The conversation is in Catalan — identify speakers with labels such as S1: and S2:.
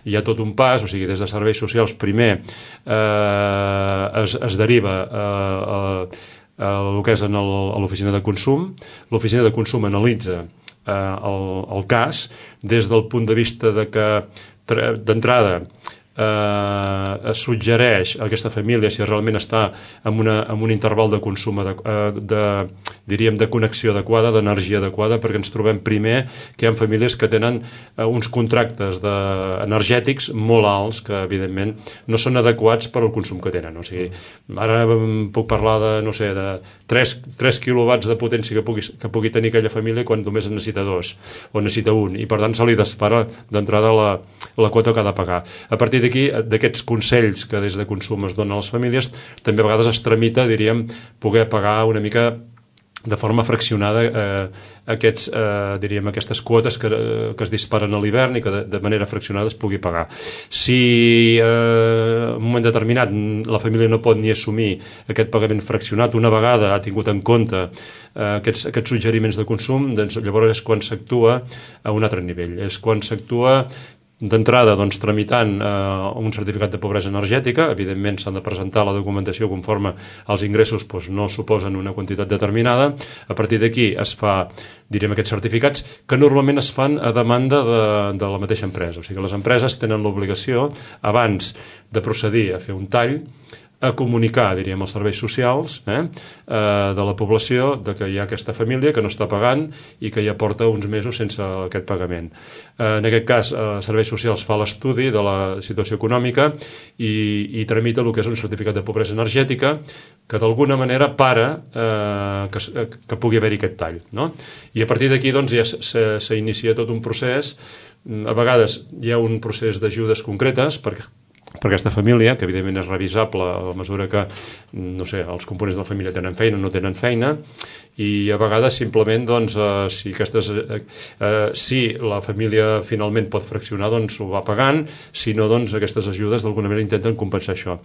S1: hi ha tot un pas, o sigui, des de serveis socials primer es deriva el que és a l'oficina de consum. L'oficina de consum analitza el cas des del punt de vista de que d'entrada es suggereix a aquesta família si realment està en un interval de consum diríem de connexió adequada, d'energia adequada, perquè ens trobem primer que hi ha famílies que tenen uns contractes energètics molt alts que evidentment no són adequats per al consum que tenen. O sigui, ara puc parlar de 3 quilowatts de potència que pugui tenir aquella família quan només en necessita 2 o necessita 1, i per tant se li dispara d'entrada la quota que ha de pagar. A partir d'aquí, d'aquests consells que des de consum es donen a les famílies, també a vegades es tramita, diríem, poder pagar una mica de forma fraccionada aquestes quotes que es disparen a l'hivern i que de manera fraccionada es pugui pagar. Si en un moment determinat la família no pot ni assumir aquest pagament fraccionat, una vegada ha tingut en compte aquests suggeriments de consum, doncs llavors és quan s'actua a un altre nivell. És quan s'actua d'entrada tramitant un certificat de pobresa energètica. Evidentment s'han de presentar la documentació conforme els ingressos no suposen una quantitat determinada. A partir d'aquí es fa, direm, aquests certificats que normalment es fan a demanda de la mateixa empresa. O sigui, les empreses tenen l'obligació, abans de procedir a fer un tall, a comunicar, diríem, als serveis socials de la població de que hi ha aquesta família que no està pagant i que ja porta uns mesos sense aquest pagament. En aquest cas, serveis socials fa l'estudi de la situació econòmica i tramita el que és un certificat de pobresa energètica que d'alguna manera para que pugui haver-hi aquest tall, no? I a partir d'aquí ja s'inicia tot un procés. A vegades hi ha un procés d'ajudes concretes per aquesta família, que evidentment és revisable a la mesura que, no sé, els components de la família tenen feina o no tenen feina, i a vegades simplement si la família finalment pot fraccionar, ho va pagant, si no, aquestes ajudes d'alguna manera intenten compensar això.